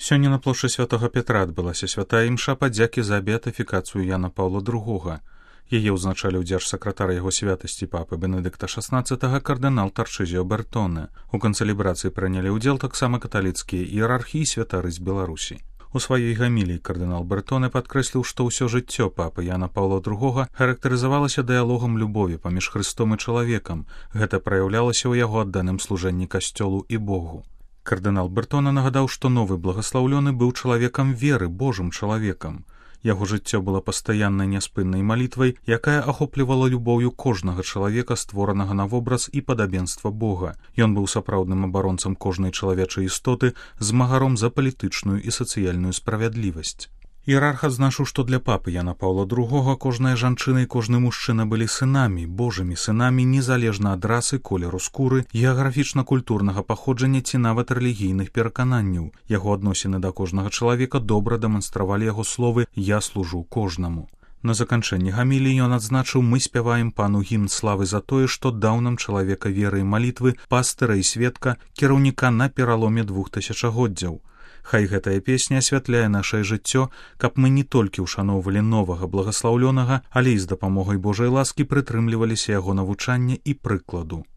Сёння на плошчы святога Петра адбылася святая імша падзякі за беатыфікацыю Яна Паўла II. Яе ўзначаліў дзяржсакратар яго святасці папы Бенедыкта XVI кардынал Тарчызіо Бертоне. У канцэлебрацыі прынялі ўдзел таксама каталіцкія іерархі і святары з Беларусі. У сваёй гаміліі кардынал Бертоне падкрэсліў, што ўсё жыццё папы Яна Паўла II характарызавалася дыялогам любові паміж Хрыстом і чалавекам. Гэта праяўлялася ў яго адданым служэнні касцёлу і Богу. Кардынал Бертоне нагадаў, што новы благаслаўлёны быў чалавекам веры, Божым чалавекам. Яго жыццё было пастаяннай няспыннай малітвай, якая ахоплівала любоўю кожнага чалавека, створанага на вобраз і падабенства Бога. Ён быў сапраўдным абаронцам кожнай чалавечай істоты, змагаром за палітычную і сацыяльную справядлівасць. Іерарх адзначыў, што для папы Яна Паўла II кожная жанчына і кожны мужчына былі сынамі, Божымі сынамі, незалежна ад расы, колеру скуры, геаграфічна-культурнага паходжання ці нават рэлігійных перакананняў. Яго адносіны да кожнага чалавека добра дэманстравалі яго словы «Я служу кожнаму». На заканчэнні гаміліі ён адзначыў: «Мы спяваем пану гімн славы за тое, што даў нам чалавека веры і малітвы, пастыра і сведка, кіраўніка на пераломе 2 тысячагоддзяў. Хай гэтая песня асвятляе нашае жыццё, каб мы не толькі ўшаноўвалі новага благаслаўлёнага, але і з дапамогай Божай ласкі прытрымліваліся яго навучання і прыкладу».